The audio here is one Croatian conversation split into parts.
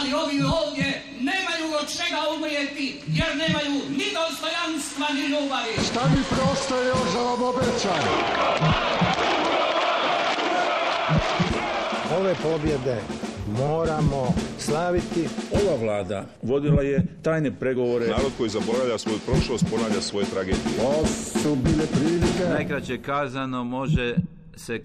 ali ovi ovdje nemaju od čega umrijeti, jer nemaju ni dostojanstva, ni ljubavi. Šta mi preostaje još za vam obećam? Ove pobjede moramo slaviti. Ova vlada vodila je tajne pregovore. Narod koji zaboravlja svoju prošlost ponavlja svoje tragedije. Ovo su bile prilike. Najkraće kazano može se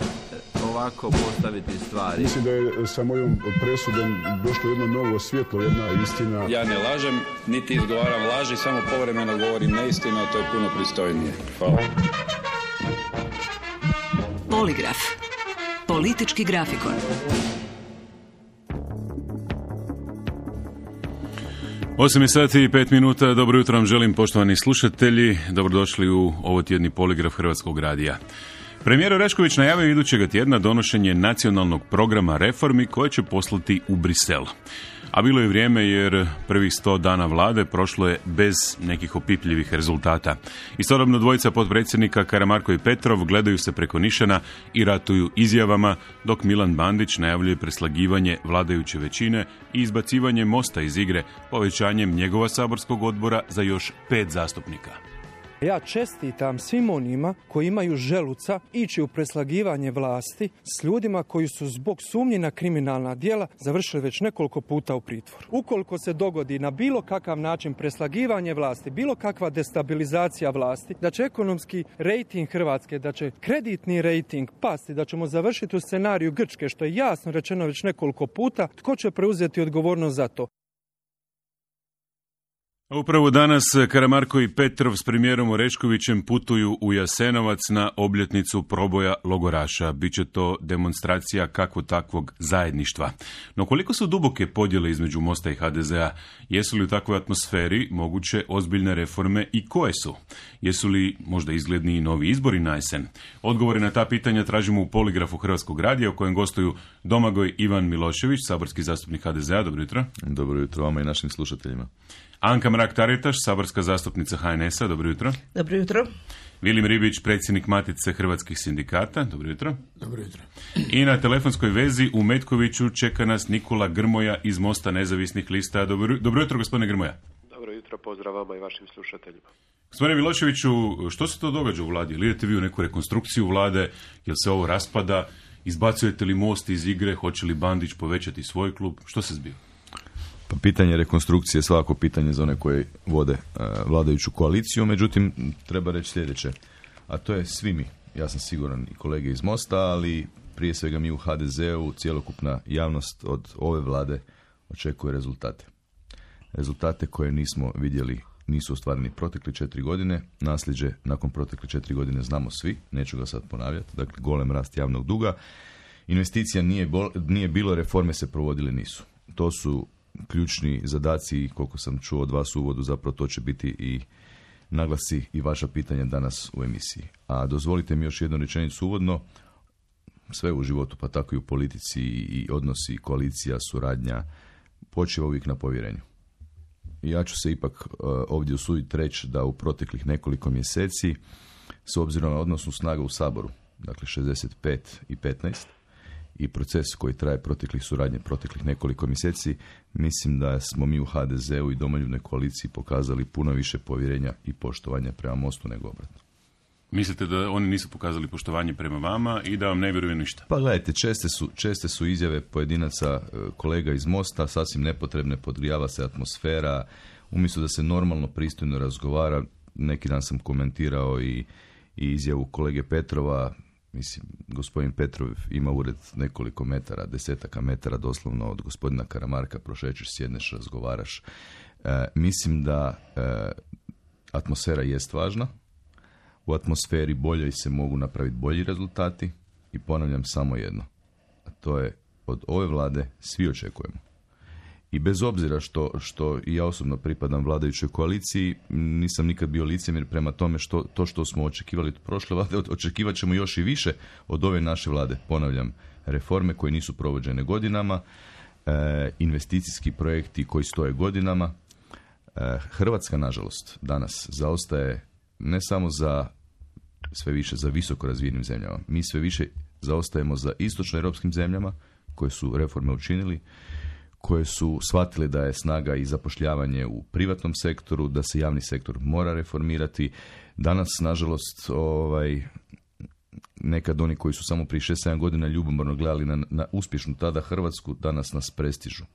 ovako postaviti stvari. Mislim da je sa mojom presudom došlo jedno novo svjetlo, jedna istina. Ja ne lažem, niti izgovaram laži, samo povremeno govorim neistinu, a to je puno pristojnije. Hvala. Poligraf. Politički grafikon. 8:05. Dobro jutro vam želim, poštovani slušatelji. Dobrodošli u ovotjedni poligraf Hrvatskog radija. Premijer Orešković najavio idućega tjedna donošenje nacionalnog programa reformi koje će poslati u Brisel. A bilo je vrijeme jer prvih 100 dana vlade prošlo je bez nekih opipljivih rezultata. Istodobno dvojica potpredsjednika Karamarko i Petrov gledaju se preko nišana i ratuju izjavama, dok Milan Bandić najavljuje preslagivanje vladajuće većine i izbacivanje Mosta iz igre povećanjem njegova saborskog odbora za još 5 zastupnika. Ja čestitam svim onima koji imaju želuca ići u preslagivanje vlasti s ljudima koji su zbog sumnji na kriminalna djela završili već nekoliko puta u pritvoru. Ukoliko se dogodi na bilo kakav način preslagivanje vlasti, bilo kakva destabilizacija vlasti, da će ekonomski rejting Hrvatske, da će kreditni rejting pasti, da ćemo završiti u scenariju Grčke, što je jasno rečeno već nekoliko puta, tko će preuzeti odgovornost za to? Upravo danas Karamarko i Petrov s premijerom Oreškovićem putuju u Jasenovac na obljetnicu proboja logoraša. Biće to demonstracija kakvo takvog zajedništva. No koliko su duboke podjele između Mosta i HDZ-a? Jesu li u takvoj atmosferi moguće ozbiljne reforme i koje su? Jesu li možda izgledni i novi izbori na jesen? Odgovore na ta pitanja tražimo u poligrafu Hrvatskog radija u kojem gostuju Domagoj Ivan Milošević, saborski zastupnik HDZ-a. Dobro jutro. Dobro jutro vama i našim slušateljima. Anka Mrak-Taritaš, saborska zastupnica HNS-a. Dobro jutro. Dobro jutro. Vilim Ribić, predsjednik Matice hrvatskih sindikata. Dobro jutro. Dobro jutro. I na telefonskoj vezi u Metkoviću čeka nas Nikola Grmoja iz Mosta nezavisnih lista. Dobro jutro, gospodine Grmoja. Dobro jutro, pozdrav vama i vašim slušateljima. Gospodine Miloševiću, što se to događa u vladi? Ili idete vi u neku rekonstrukciju vlade? Jel se ovo raspada? Izbacujete li Most iz igre? Hoće li Bandić povećati svoj klub? Što se zbiva? Pa pitanje rekonstrukcije je svako pitanje za one koji vode vladajuću koaliciju, međutim treba reći sljedeće, a to je svi mi, ja sam siguran i kolege iz Mosta, ali prije svega mi u HDZ-u, cjelokupna javnost od ove vlade očekuje rezultate. Rezultate koje nismo vidjeli, nisu ostvareni protekle 4 godine, nasljeđe nakon protekle 4 godine znamo svi, neću ga sad ponavljati, dakle golem rast javnog duga, investicija nije bilo, reforme se provodile nisu. To su ključni zadaci, koliko sam čuo od vas u uvodu, zapravo to će biti i naglasi i vaša pitanja danas u emisiji. A dozvolite mi još jednu rečenicu uvodno, sve u životu, pa tako i u politici i odnosi, koalicija, suradnja, počiva uvijek na povjerenju. I ja ću se ipak ovdje usuditi reći da u proteklih nekoliko mjeseci, s obzirom na odnosnu snagu u Saboru, dakle 65 i 15, i proces koji traje proteklih nekoliko mjeseci, mislim da smo mi u HDZ-u i Domoljubnoj koaliciji pokazali puno više povjerenja i poštovanja prema Mostu nego obratno. Mislite da oni nisu pokazali poštovanje prema vama i da vam ne vjeruju ništa? Pa gledajte, česte su izjave pojedinaca, kolega iz Mosta, sasvim nepotrebne, podgrijava se atmosfera, umjesto da se normalno, pristojno razgovara. Neki dan sam komentirao i izjavu kolege Petrova. Mislim, gospodin Petrov ima ured nekoliko metara, desetaka metara doslovno od gospodina Karamarka, prošećeš, sjedneš, razgovaraš. Mislim da atmosfera jest važna. U atmosferi boljoj se mogu napraviti bolji rezultati i ponavljam samo jedno. A to je od ove vlade svi očekujemo. I bez obzira što i ja osobno pripadam vladajućoj koaliciji, nisam nikad bio licemjer prema tome što smo očekivali od prošle vlade, očekivat ćemo još i više od ove naše vlade. Ponavljam, reforme koje nisu provođene godinama, investicijski projekti koji stoje godinama. Hrvatska, nažalost, danas zaostaje ne samo sve više za visoko razvijenim zemljama. Mi sve više zaostajemo za istočnoeuropskim zemljama koje su reforme učinili, koje su shvatile da je snaga i zapošljavanje u privatnom sektoru, da se javni sektor mora reformirati. Danas, nažalost, nekad oni koji su samo prije 6-7 godina ljubomorno gledali na uspješnu tada Hrvatsku, danas nas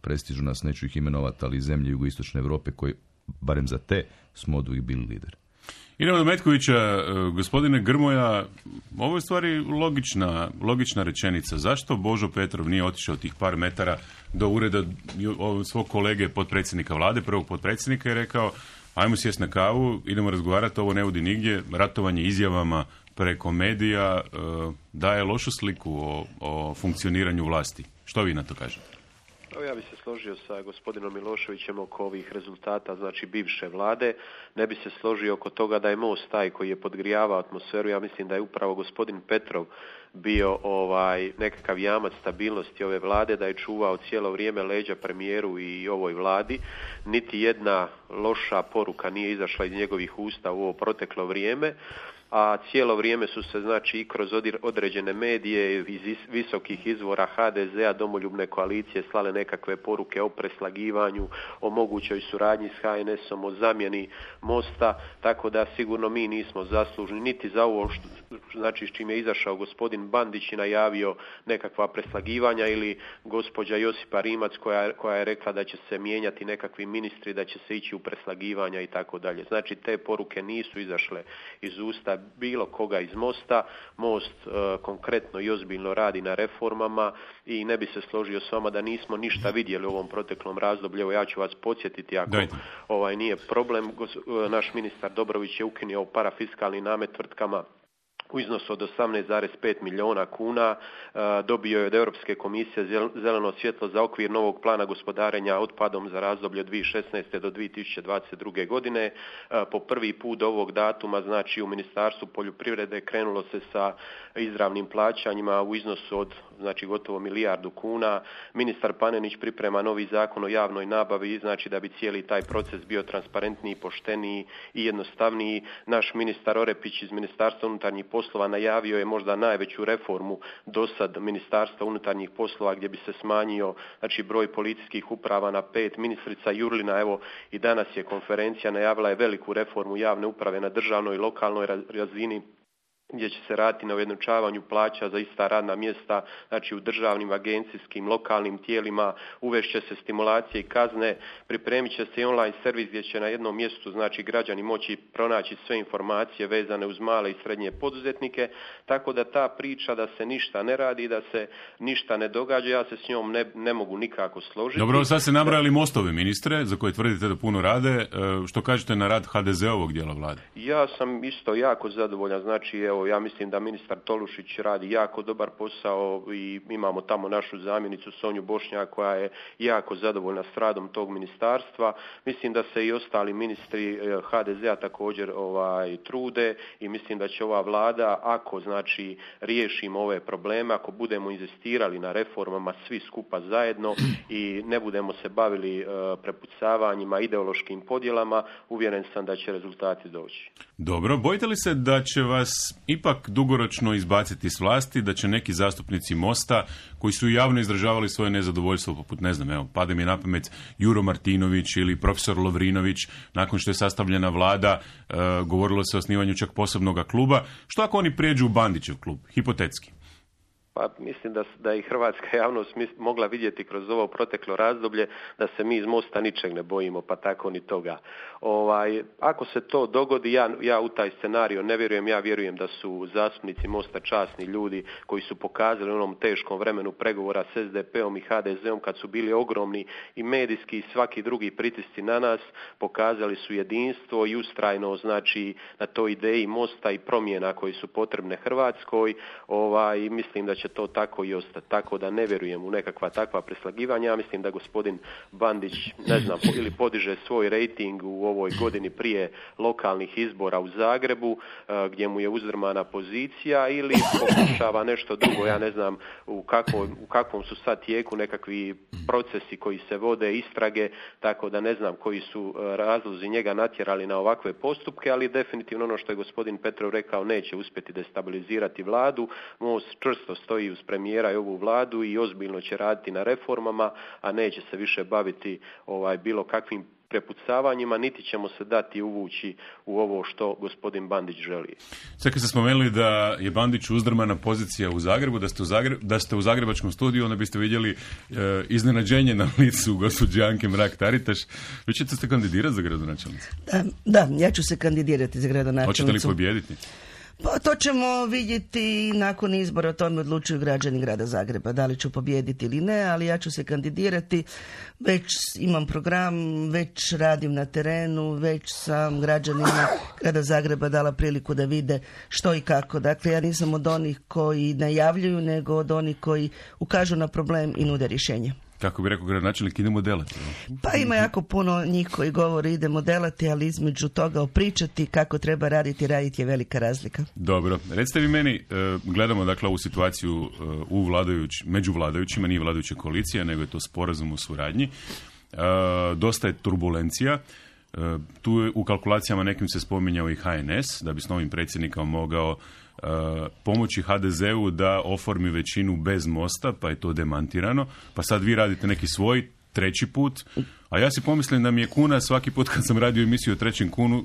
prestižu nas, neću ih imenovati, ali zemlje jugoistočne Europe koji, barem za te, smo oduvijek bili lideri. Idemo do Metkovića. Gospodine Grmoja, ovo je stvari logična rečenica. Zašto Božo Petrov nije otišao tih par metara do ureda svog kolege potpredsjednika vlade, prvog potpredsjednika, i rekao ajmo sjesti na kavu, idemo razgovarati, ovo ne vodi nigdje, ratovanje izjavama preko medija daje lošu sliku o funkcioniranju vlasti. Što vi na to kažete? Ja bih se složio sa gospodinom Miloševićem oko ovih rezultata, znači bivše vlade. Ne bi se složio oko toga da je Most taj koji je podgrijavao atmosferu. Ja mislim da je upravo gospodin Petrov bio nekakav jamac stabilnosti ove vlade, da je čuvao cijelo vrijeme leđa premijeru i ovoj vladi. Niti jedna loša poruka nije izašla iz njegovih usta u ovo proteklo vrijeme. A cijelo vrijeme su se, znači, i kroz određene medije iz visokih izvora HDZ-a, domoljubne koalicije, slale nekakve poruke o preslagivanju, o mogućoj suradnji s HNS-om, o zamjeni Mosta, tako da sigurno mi nismo zaslužni niti za ovo, znači s čim je izašao gospodin Bandić i najavio nekakva preslagivanja, ili gospođa Josipa Rimac koja je rekla da će se mijenjati nekakvi ministri, da će se ići u preslagivanja i tako dalje. Znači te poruke nisu izašle iz usta bilo koga iz Mosta. Most konkretno i ozbiljno radi na reformama i ne bi se složio s vama da nismo ništa vidjeli u ovom proteklom razdoblju. Evo, ja ću vas podsjetiti ako nije problem. Naš ministar Dobrović je ukinuo parafiskalni namet tvrtkama u iznosu od 18,5 milijuna kuna, dobio je od Europske komisije zeleno svjetlo za okvir novog plana gospodarenja otpadom za razdoblje od 2016. do 2022. godine. Po prvi put do ovog datuma, znači u Ministarstvu poljoprivrede krenulo se sa izravnim plaćanjima u iznosu od, znači, gotovo milijardu kuna. Ministar Panenić priprema novi zakon o javnoj nabavi, znači da bi cijeli taj proces bio transparentniji, pošteniji i jednostavniji. Naš ministar Orepić iz Ministarstva unutarnjih poslova najavio je možda najveću reformu dosad Ministarstva unutarnjih poslova, gdje bi se smanjio, znači, broj policijskih uprava na 5. Ministrica Jurlina, evo i danas je konferencija, najavila je veliku reformu javne uprave na državnoj i lokalnoj razini, gdje će se raditi na ujednačavanju plaća za ista radna mjesta, znači u državnim, agencijskim, lokalnim tijelima, uvešće se stimulacije i kazne, pripremit će se i online servis gdje će na jednom mjestu, znači, građani moći pronaći sve informacije vezane uz male i srednje poduzetnike, tako da ta priča da se ništa ne radi, da se ništa ne događa, ja se s njom ne mogu nikako složiti. Dobro, sad se nabrajali Mostove ministre, za koje tvrdite da puno rade. Što kažete na rad HDZ-ovog dijela vlade? Ja sam isto jako zadovoljan, znači, evo, ja mislim da ministar Tolušić radi jako dobar posao i imamo tamo našu zamjenicu Sonju Bošnjak koja je jako zadovoljna s radom tog ministarstva. Mislim da se i ostali ministri HDZ-a također trude i mislim da će ova vlada, ako, znači, riješimo ove probleme, ako budemo inzistirali na reformama svi skupa zajedno i ne budemo se bavili prepucavanjima, ideološkim podjelama, uvjeren sam da će rezultati doći. Dobro, bojite li se da će vas ipak dugoročno izbaciti s vlasti, da će neki zastupnici Mosta koji su javno izražavali svoje nezadovoljstvo, poput, ne znam, evo, pada mi na pamet Juro Martinović ili profesor Lovrinović, nakon što je sastavljena vlada, govorilo se o osnivanju čak posebnog kluba, što ako oni prijeđu u Bandićev klub, hipotetski? Pa mislim da i hrvatska javnost mogla vidjeti kroz ovo proteklo razdoblje da se mi iz Mosta ničeg ne bojimo, pa tako ni toga. Ako se to dogodi, ja u taj scenario ne vjerujem, ja vjerujem da su zastupnici Mosta časni ljudi koji su pokazali u onom teškom vremenu pregovora s SDP-om i HDZ-om, kad su bili ogromni i medijski i svaki drugi pritisci na nas, pokazali su jedinstvo i ustrajno, znači, na toj ideji Mosta i promjena koji su potrebne Hrvatskoj. Mislim da će to tako i ostati. Tako da ne vjerujem u nekakva takva preslagivanja. Ja mislim da gospodin Bandić, ne znam, ili podiže svoj rejting u ovoj godini prije lokalnih izbora u Zagrebu, gdje mu je uzdrmana pozicija, ili pokušava nešto drugo. Ja ne znam u kakvom su sad tijeku nekakvi procesi koji se vode, istrage, tako da ne znam koji su razlozi njega natjerali na ovakve postupke, ali definitivno ono što je gospodin Petrov rekao, neće uspjeti destabilizirati vladu. Most čvrsto stoji stoji uz premijera i ovu vladu i ozbiljno će raditi na reformama, a neće se više baviti bilo kakvim prepucavanjima, niti ćemo se dati uvući u ovo što gospodin Bandić želi. Sad kad ste spomenuli da je Bandić uzdrmana pozicija u Zagrebu, da ste u zagrebačkom studiju, onda biste vidjeli iznenađenje na licu gospođe Anke Mrak-Taritaš. Vi ćete se kandidirati za gradonačelnicu? Da, ja ću se kandidirati za gradonačelnicu. Hoćete li pobijediti? Pa to ćemo vidjeti nakon izbora, o tome odlučuju građani grada Zagreba, da li ću pobijediti ili ne, ali ja ću se kandidirati, već imam program, već radim na terenu, već sam građanima grada Zagreba dala priliku da vide što i kako. Dakle, ja nisam od onih koji najavljuju, nego od onih koji ukažu na problem i nude rješenje. Kako bi rekao gradonačelnik, idemo delati. Pa ima jako puno njih koji govore idemo delati, ali između toga opričati kako treba raditi je velika razlika. Dobro, recite vi meni, gledamo dakle ovu situaciju među vladajućima, nije vladajuća koalicija, nego je to sporazum o suradnji. Dosta je turbulencija. Tu je u kalkulacijama nekim se spominjao i HNS, da bi s novim predsjednikom mogao pomoći HDZ-u da oformi većinu bez Mosta, pa je to demantirano. Pa sad vi radite neki svoj treći put, a ja si pomislim da mi je kuna svaki put kad sam radio emisiju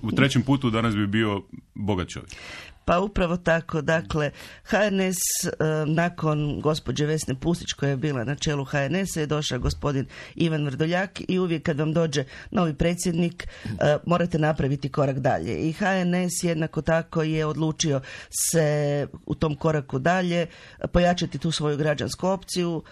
u trećem putu danas bi bio bogat čovjek. Pa upravo tako, dakle, HNS nakon gospođe Vesne Pusić koja je bila na čelu HNS-a je došao gospodin Ivan Vrdoljak i uvijek kad vam dođe novi predsjednik morate napraviti korak dalje. I HNS jednako tako je odlučio se u tom koraku dalje pojačati tu svoju građansku opciju,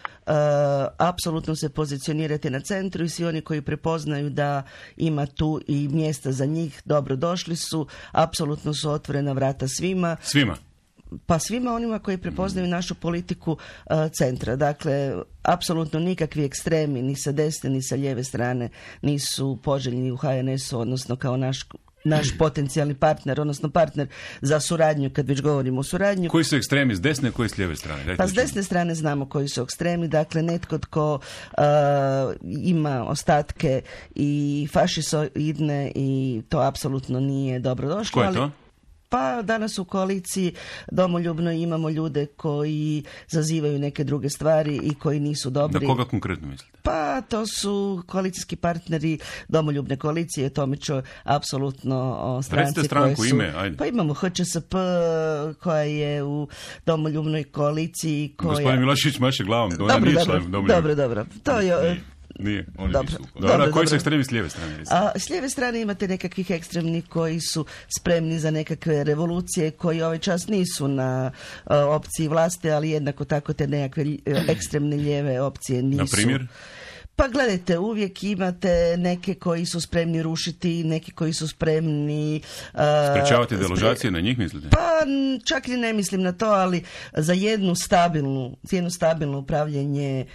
apsolutno se pozicionirati na centru i svi oni koji prepoznaju da ima tu i mjesta za njih, dobro došli su, apsolutno su otvorena vrata svima. Pa svima onima koji prepoznaju našu politiku centra. Dakle, apsolutno nikakvi ekstremi ni sa desne ni sa lijeve strane nisu poželjni u HNS-u, odnosno kao naš potencijalni partner, odnosno partner za suradnju, kad već govorimo o suradnju. Koji su ekstremi s desne, koji s lijeve strane? Pa s desne strane znamo koji su ekstremi, dakle netko tko ima ostatke i fašisoidne i to apsolutno nije dobro došlo. Ko je to? Pa danas u koaliciji domoljubno imamo ljude koji zazivaju neke druge stvari i koji nisu dobri. Da koga konkretno mislite? Pa to su koalicijski partneri domoljubne koalicije, tome ću apsolutno stranci. Recite stranku, ime, ajde. Pa imamo HČSP koja je u domoljubnoj koaliciji. Gospodin Milošević maše glavom. Dobro. To je... Nije, oni dobro. Koji su ekstremi s lijeve strane? S lijeve strane imate nekakvih ekstremnih koji su spremni za nekakve revolucije, koji ovaj čas nisu na opciji vlasti, ali jednako tako te nekakve ekstremne lijeve opcije nisu. Na primjer? Pa gledajte, uvijek imate neke koji su spremni rušiti, neki koji su spremni... Sprečavati deložacije, na njih mislite? Pa čak i ne mislim na to, ali za jedno stabilno upravljanje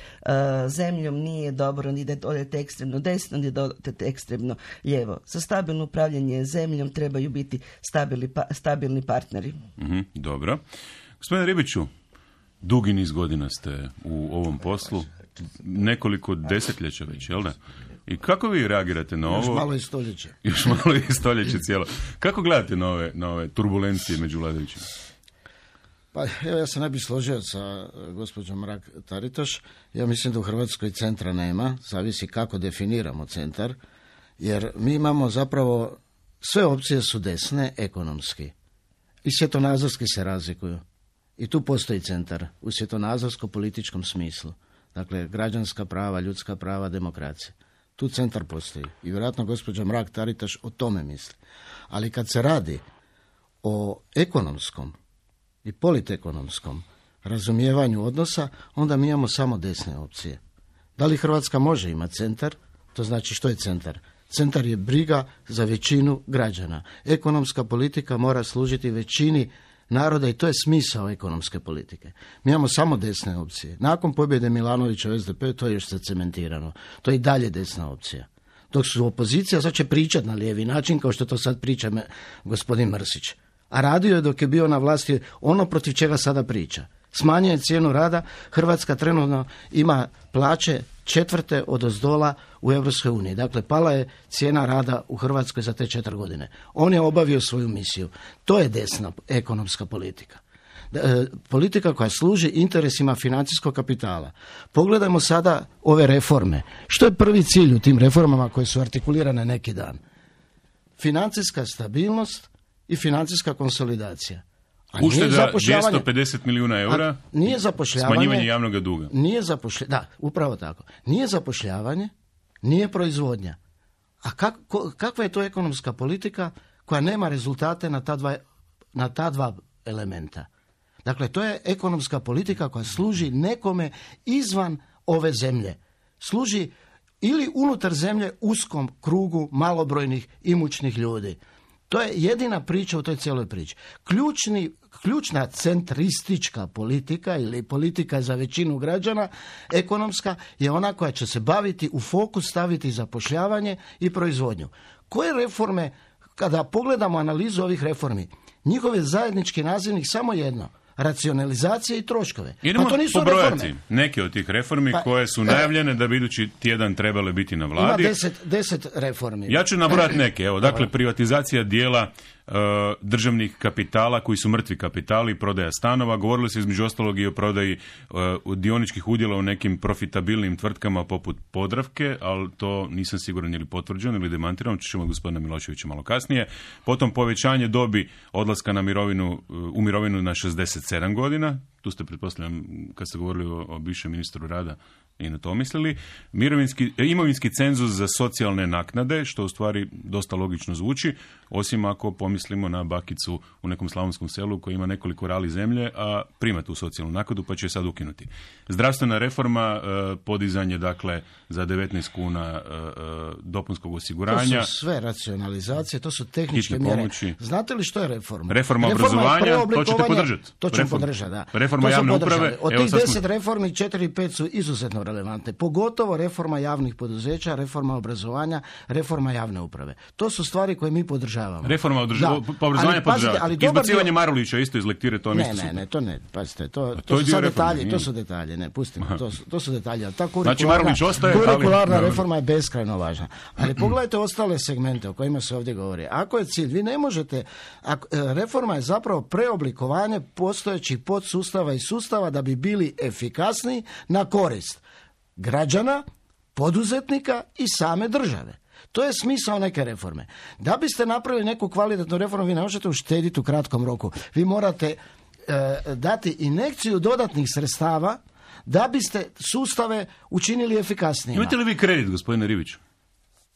zemljom nije dobro ni da odete ekstremno desno, ni da odete ekstremno lijevo. Za stabilno upravljanje zemljom trebaju biti stabilni partneri. Dobro. Gospodine Ribiću, dugi niz godina ste u ovom poslu. Nekoliko desetljeća već, jel da? I kako vi reagirate na ovo? Još malo i stoljeće. Još malo i stoljeće cijelo. Kako gledate na ove turbulencije među vladajućima? Pa evo, ja se ne bih složio sa gospođom Mrak-Taritaš. Ja mislim da u Hrvatskoj centra nema, zavisi kako definiramo centar, jer mi imamo zapravo, sve opcije su desne ekonomski i svjetonazorski se razlikuju. I tu postoji centar u svjetonazorsko-političkom smislu. Dakle, građanska prava, ljudska prava, demokracija. Tu centar postoji. I vjerojatno gospođa Mrak-Taritaš o tome misli. Ali kad se radi o ekonomskom i politekonomskom razumijevanju odnosa, onda mi imamo samo desne opcije. Da li Hrvatska može imati centar? To znači što je centar? Centar je briga za većinu građana. Ekonomska politika mora služiti većini naroda i to je smisao ekonomske politike. Mi imamo samo desne opcije. Nakon pobjede Milanovića u SDP to je još zacementirano. To je i dalje desna opcija. Dok su opozicija, sad će pričati na lijevi način kao što to sad priča gospodin Mrsić. A radio je dok je bio na vlasti ono protiv čega sada priča. Smanjuje cijenu rada, Hrvatska trenutno ima plaće 4. odozdola u Europskoj uniji. Dakle, pala je cijena rada u Hrvatskoj za te 4 godine. On je obavio svoju misiju. To je desna ekonomska politika. politika koja služi interesima financijskog kapitala. Pogledajmo sada ove reforme. Što je prvi cilj u tim reformama koje su artikulirane neki dan? Financijska stabilnost i financijska konsolidacija. Ušteda 250 milijuna eura, nije zapošljavanje, smanjivanje javnog duga. Da, upravo tako. Nije zapošljavanje, nije proizvodnja. A kakva je to ekonomska politika koja nema rezultate na ta dva elementa? Dakle, to je ekonomska politika koja služi nekome izvan ove zemlje. Služi ili unutar zemlje uskom krugu malobrojnih imućnih ljudi. To je jedina priča u toj cijeloj priči. Ključna centristička politika ili politika za većinu građana, ekonomska, je ona koja će se baviti, u fokus staviti zapošljavanje i proizvodnju. Koje reforme, kada pogledamo analizu ovih reformi, njihov je zajednički nazivnik samo jedno: racionalizacije i troškove. Idemo to nisu pobrojati reforme. neke od tih reformi koje su najavljene da bi idući tjedan trebale biti na vladi. Ima 10 reformi. Ja ću nabrojati neke. Evo, dakle, privatizacija dijela državnih kapitala koji su mrtvi kapitali, prodaja stanova. Govorilo se između ostalog i o prodaji dioničkih udjela u nekim profitabilnim tvrtkama poput Podravke, ali to nisam siguran ili potvrđeno ili demantirano, ćemo od gospodina Miloševića malo kasnije. Potom povećanje dobi odlaska u mirovinu na 67 godina. Tu ste, pretpostavljam, kad ste govorili o bivšem ministru rada, i na to mislili. Imovinski cenzus za socijalne naknade, što u stvari dosta logično zvuči, osim ako pomislimo na bakicu u nekom slavonskom selu koji ima nekoliko rali zemlje, a prima tu socijalnu naknadu, pa će je sad ukinuti. Zdravstvena reforma, podizanje, dakle, za 19 kuna dopunskog osiguranja. To su sve racionalizacije, to su tehničke mjere. Pomoći. Znate li što je reforma? Reforma obrazovanja, to ćete podržati. To ćemo podržati, da. Reforma javne uprave. Od tih 10 reformi, 4-5 su izuzetno relevantne. Pogotovo reforma javnih poduzeća, reforma obrazovanja, reforma javne uprave. To su stvari koje mi podržavamo. Reforma obrazovanja podržavamo. Izbacivanje Marulića isto iz lektire, to mi isto. Ne, to ne. Pazite, to su sad detalji. To su detalji, ne, pustimo. To su detalji. Znači Marulić ostaje, kurikularna reforma je beskrajno važna. Ali pogledajte ostale segmente o kojima se ovdje govori. Ako je cilj, vi ne možete, reforma je zapravo preoblikovanje postojećih podsustava i sustava da bi bili efikasniji na korist građana, poduzetnika i same države. To je smisao neke reforme. Da biste napravili neku kvalitetnu reformu, vi ne možete uštediti u kratkom roku. Vi morate dati injekciju dodatnih sredstava da biste sustave učinili efikasnijima. Imate li vi kredit, gospodine Ribiću?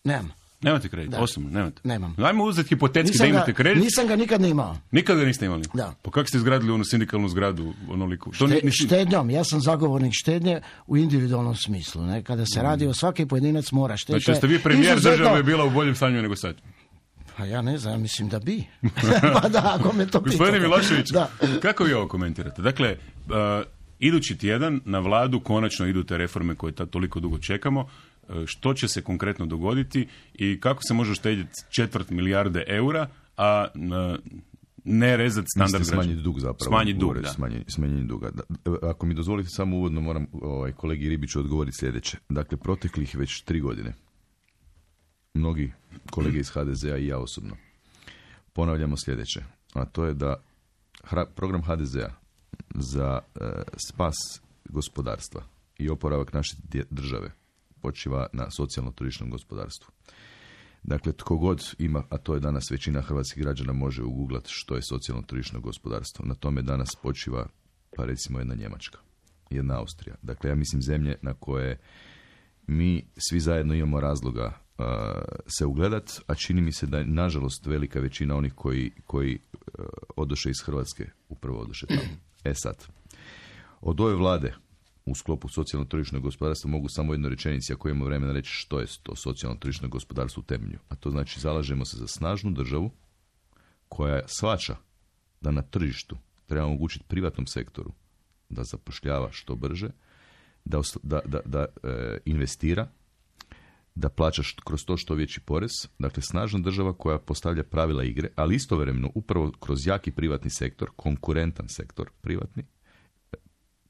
Nemam. Nemate kredit, osobno, nemate? Nemam. Ajmo uzeti hipotetski da imate kredit. Nisam ga nikad ne imao. Nikad ga niste imali? Da. Pa kako ste izgradili onu sindikalnu zgradu onoliku? Štednjom, ja sam zagovornik štednje u individualnom smislu. Ne? Kada se radi o svaki pojedinac mora štediti. Znači, jeste vi premijer države je bila u boljem stanju nego sad? Pa ja ne znam, mislim da bi. Pa da, ako me to pitate. Gospodine Milošević, kako vi ovo komentirate? Dakle, idući tjedan na vladu konačno idu te reforme koje toliko dugo čekamo. Što će se konkretno dogoditi i kako se može uštedjeti 250 milijarde eura, a ne rezati standard građana? Smanjiti dug zapravo. Smanjiti dug, da. Smanjenje duga. Ako mi dozvolite samo uvodno, moram kolegi Ribiću odgovoriti sljedeće. Dakle, proteklih već 3 godine mnogi kolege iz HDZ-a i ja osobno ponavljamo sljedeće, a to je da program HDZ-a za spas gospodarstva i oporavak naše države počiva na socijalno-tržišnom gospodarstvu. Dakle, tko god ima, a to je danas većina hrvatskih građana, može uguglati što je socijalno-tržišno gospodarstvo. Na tome danas počiva, pa recimo, jedna Njemačka, jedna Austrija. Dakle, ja mislim zemlje na koje mi svi zajedno imamo razloga se ugledati, a čini mi se da je, nažalost, velika većina onih koji odoše iz Hrvatske upravo odoše tamo. Sad, od ove vlade u sklopu socijalno-tržišnog gospodarstva mogu samo jednu rečenicu, ako imamo vremena, reći što je to socijalno-tržišno gospodarstvo u temelju. A to znači, zalažemo se za snažnu državu koja shvaća da na tržištu treba omogućiti privatnom sektoru da zapošljava što brže, da investira, da plaća kroz to što veći porez. Dakle, snažna država koja postavlja pravila igre, ali istovremeno upravo kroz jaki privatni sektor, konkurentan sektor privatni,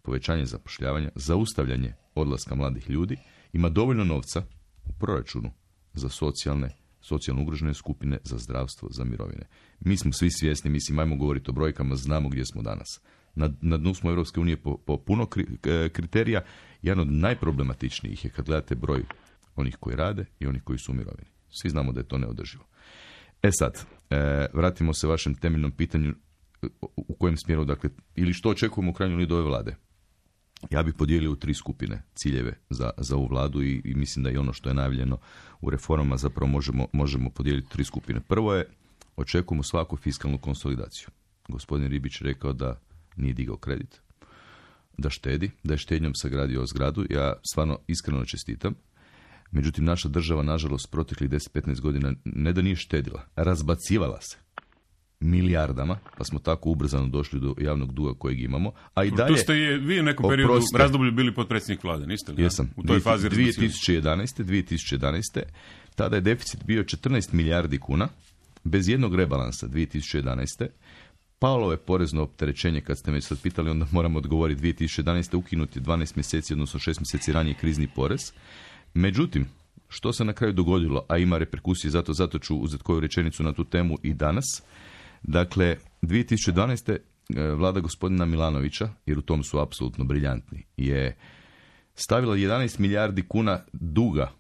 povećanje zapošljavanja, zaustavljanje odlaska mladih ljudi, ima dovoljno novca u proračunu za socijalno ugrožene skupine, za zdravstvo, za mirovine. Mi smo svi svjesni, mislim, ajmo govoriti o brojkama, znamo gdje smo danas. Na dnu smo Europske unije po puno kriterija. Jedan od najproblematičnijih je kad gledate broj onih koji rade i onih koji su u mirovini. Svi znamo da je to neodrživo. Sad, vratimo se vašem temeljnom pitanju u kojem smjeru, dakle, ili što očekujemo u krajnjoj liniji od ove vlade. Ja bih podijelio u 3 skupine ciljeve za ovu vladu i mislim da i ono što je najavljeno u reformama zapravo možemo podijeliti 3 skupine. Prvo je, očekujemo svaku fiskalnu konsolidaciju. Gospodin Ribić rekao da nije digao kredit, da štedi, da je štednjom sagradio zgradu. Ja stvarno iskreno čestitam. Međutim, naša država, nažalost, proteklih 10-15 godina ne da nije štedila, razbacivala se milijardama, pa smo tako ubrzano došli do javnog duga kojeg imamo. A i dalje, tu ste vi u nekom periodu razdoblju bili potpredsjednik vlade, niste li? Jesam. U toj fazi 2011. Tada je deficit bio 14 milijardi kuna, bez jednog rebalansa 2011. Palo je porezno opterećenje, kad ste me sad pitali, onda moramo odgovoriti 2011. ukinuti 12 mjeseci, odnosno 6 mjeseci ranije krizni porez. Međutim, što se na kraju dogodilo, a ima reperkusije, zato ću uzeti koju rečenicu na tu temu i danas. Dakle, 2012. vlada gospodina Milanovića, jer u tom su apsolutno briljantni, je stavila 11 milijardi kuna duga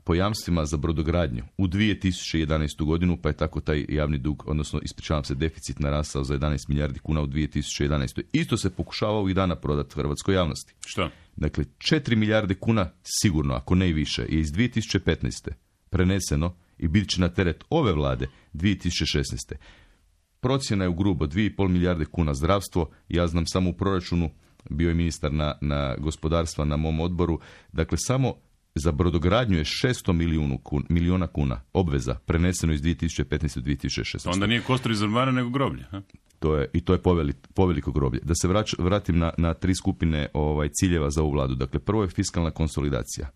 po jamstvima za brodogradnju u 2011. godinu, pa je tako taj javni dug, odnosno ispričavam se, deficit narastao za 11 milijardi kuna u 2011. Isto se pokušava ovih dana prodati hrvatskoj javnosti. Što? Dakle, 4 milijarde kuna sigurno, ako ne i više, je iz 2015. preneseno i bit će na teret ove vlade 2016. Procjena je u grubo 2,5 milijarde kuna zdravstvo. Ja znam samo u proračunu, bio je ministar na gospodarstva na mom odboru, dakle samo za brodogradnju je 600 milijuna kuna obveza preneseno iz 2015. u 2016. Onda nije kostur iz ormara nego groblje. Ha? To je poveliko groblje. Da se vratim na 3 skupine ciljeva za ovu vladu. Dakle, prvo je fiskalna konsolidacija.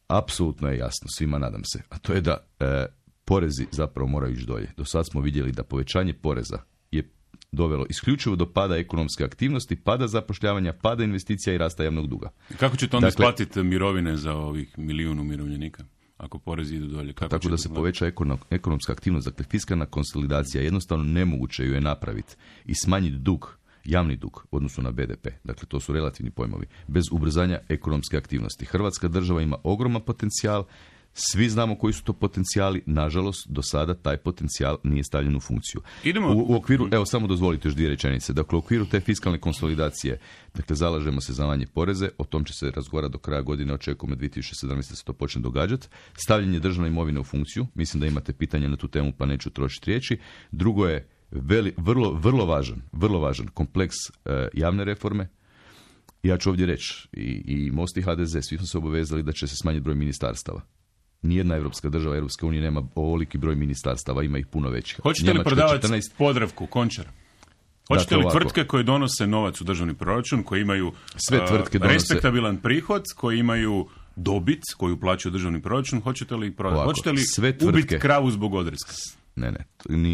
Apsolutno je jasno, svima nadam se, a to je da porezi zapravo moraju ići dolje. Do sad smo vidjeli da povećanje poreza je dovelo isključivo do pada ekonomske aktivnosti, pada zapošljavanja, pada investicija i rasta javnog duga. Kako ćete onda isplatiti mirovine za ovih milijun umirovljenika? Ako porezi idu dolje. Tako da se poveća ekonomska aktivnost, dakle fiskalna konsolidacija, jednostavno nemoguće ju je napraviti i smanjiti dug, javni dug u odnosu na BDP. Dakle, to su relativni pojmovi. Bez ubrzanja ekonomske aktivnosti. Hrvatska država ima ogroman potencijal, svi znamo koji su to potencijali, nažalost, do sada taj potencijal nije stavljen u funkciju. U okviru, evo samo dozvolite još 2 rečenice, dakle u okviru te fiskalne konsolidacije, dakle zalažemo se za manje poreze, o tom će se razgovarati do kraja godine, očekujemo 2017. se to počne događati. Stavljanje državne imovine u funkciju, mislim da imate pitanje na tu temu pa neću trošiti riječi. Drugo je vrlo važan kompleks javne reforme. Ja ću ovdje reći, i Most i HDZ, svi smo se obavezali da će se smanjiti broj ministarstava. Nijedna europska država, Europska unija nema ovoliki broj ministarstava, ima ih puno većih. Hoćete li prodavati Podravku, Končar? Hoćete li tvrtke koje donose novac u državni proračun, koje imaju respektabilan prihod, koji imaju dobit koju plaćaju državni proračun, hoćete li ih prodati? Hoćete li ubiti kravu zbog odreska? Ne,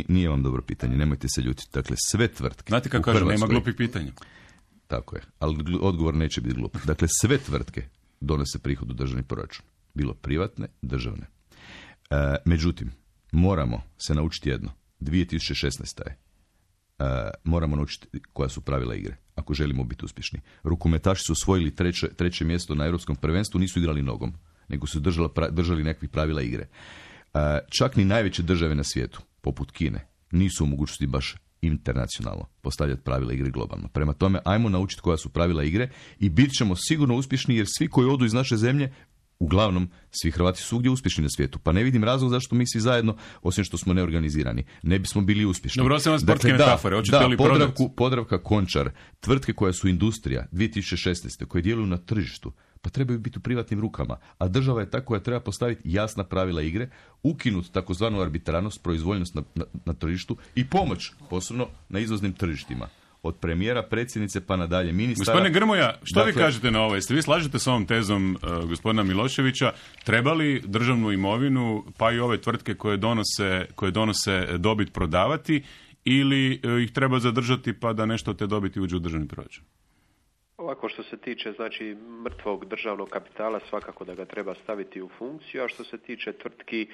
nije vam dobro pitanje, nemojte se ljutiti. Dakle, sve tvrtke. Znate kako kažem, nema glupih pitanja. Tako je, ali odgovor neće biti glup. Dakle, sve tvrtke donose prihod u državni proračun. Bilo privatne, državne. Međutim, moramo se naučiti jedno. 2016. je. Moramo naučiti koja su pravila igre, ako želimo biti uspješni. Rukometaši su osvojili treće mjesto na Europskom prvenstvu, nisu igrali nogom, nego su držali nekakvih pravila igre. Čak ni najveće države na svijetu, poput Kine, nisu u mogućnosti baš internacionalno postavljati pravila igre globalno. Prema tome, ajmo naučiti koja su pravila igre i bit ćemo sigurno uspješni, jer svi koji odu iz naše zemlje, uglavnom, svi Hrvati su ugdje uspješni na svijetu. Pa ne vidim razlog zašto mi svi zajedno, osim što smo neorganizirani, ne bismo bili uspješni. Dobro, osim sportske metafore. Podravka, Končar, tvrtke koje su industrija 2016. koje djeluju na tržištu, pa trebaju biti u privatnim rukama. A država je ta koja treba postaviti jasna pravila igre, ukinuti takozvanu arbitrarnost, proizvoljnost na tržištu i pomoć, posebno na izvoznim tržištima. Od premijera, predsjednice pa nadalje ministara. Gospodine Grmoja, što vi kažete na ovo? Jeste vi slažete s ovom tezom gospodina Miloševića? Treba li državnu imovinu, pa i ove tvrtke koje donose dobit prodavati, ili ih treba zadržati pa da nešto od te dobiti uđe u državni proračun? Ovako što se tiče znači mrtvog državnog kapitala svakako da ga treba staviti u funkciju, a što se tiče tvrtki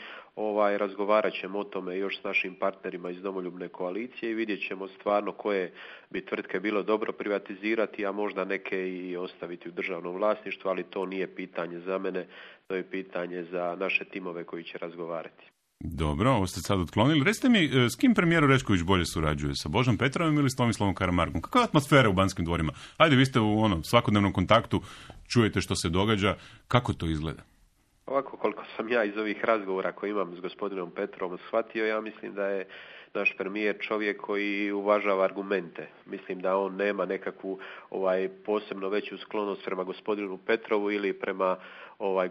razgovarat ćemo o tome još s našim partnerima iz Domoljubne koalicije i vidjet ćemo stvarno koje bi tvrtke bilo dobro privatizirati, a možda neke i ostaviti u državnom vlasništvu, ali to nije pitanje za mene, to je pitanje za naše timove koji će razgovarati. Dobro, ovo ste sad otklonili. Recite mi, s kim premijer Orešković bolje surađuje? Sa Božom Petrovim ili s Tomislavom Karamarkom? Kakva je atmosfera u Banskim dvorima? Ajde, vi ste u svakodnevnom kontaktu, čujete što se događa. Kako to izgleda? Ovako, koliko sam ja iz ovih razgovora koje imam s gospodinom Petrovom shvatio, ja mislim da je naš premijer čovjek koji uvažava argumente. Mislim da on nema nekakvu posebno veću sklonost prema gospodinu Petrovu ili prema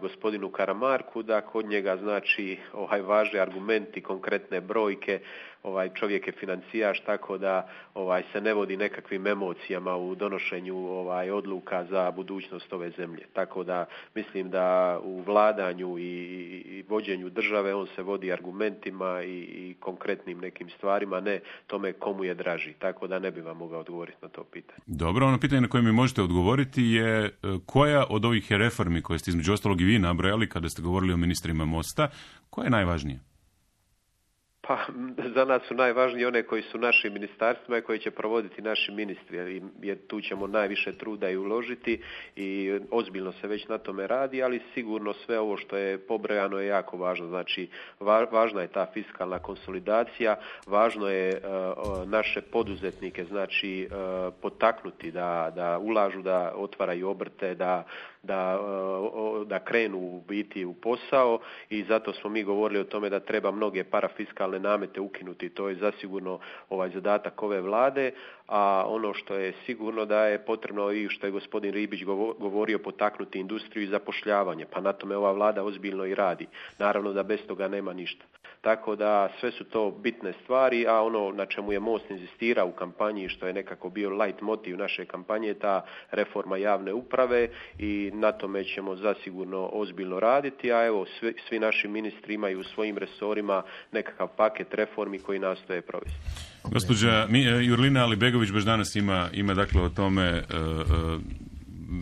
gospodinu Karamarku, da kod njega znači važni argumenti, konkretne brojke, čovjek je financijaš, tako da se ne vodi nekakvim emocijama u donošenju odluka za budućnost ove zemlje. Tako da mislim da u vladanju i vođenju države on se vodi argumentima i konkretnim nekim stvarima, ne tome komu je draži. Tako da ne bi vam mogao odgovoriti na to pitanje. Dobro, ono pitanje na koje mi možete odgovoriti je koja od ovih reformi koje ste između ostalog i vi nabrojali kada ste govorili o ministrima Mosta, koja je najvažnija? Pa za nas su najvažniji one koji su našim ministarstvima i koji će provoditi naši ministri, jer tu ćemo najviše truda i uložiti i ozbiljno se već na tome radi, ali sigurno sve ovo što je pobrojano je jako važno. Znači, važna je ta fiskalna konsolidacija, važno je naše poduzetnike znači potaknuti da ulažu, da otvaraju obrte, da krenu u biti u posao i zato smo mi govorili o tome da treba mnoge parafiskalne namete ukinuti. To je zasigurno zadatak ove vlade, a ono što je sigurno da je potrebno i što je gospodin Ribić govorio potaknuti industriju i zapošljavanje, pa na tome ova vlada ozbiljno i radi. Naravno da bez toga nema ništa. Tako da sve su to bitne stvari, a ono na čemu je Most inzistirao u kampanji, što je nekako bio light motiv naše kampanje, ta reforma javne uprave i na tome ćemo zasigurno ozbiljno raditi, a evo svi naši ministri imaju u svojim resorima nekakav paket reformi koji nastoje provesti. Gospođa Jurlina Alibegović baš danas ima dakle o tome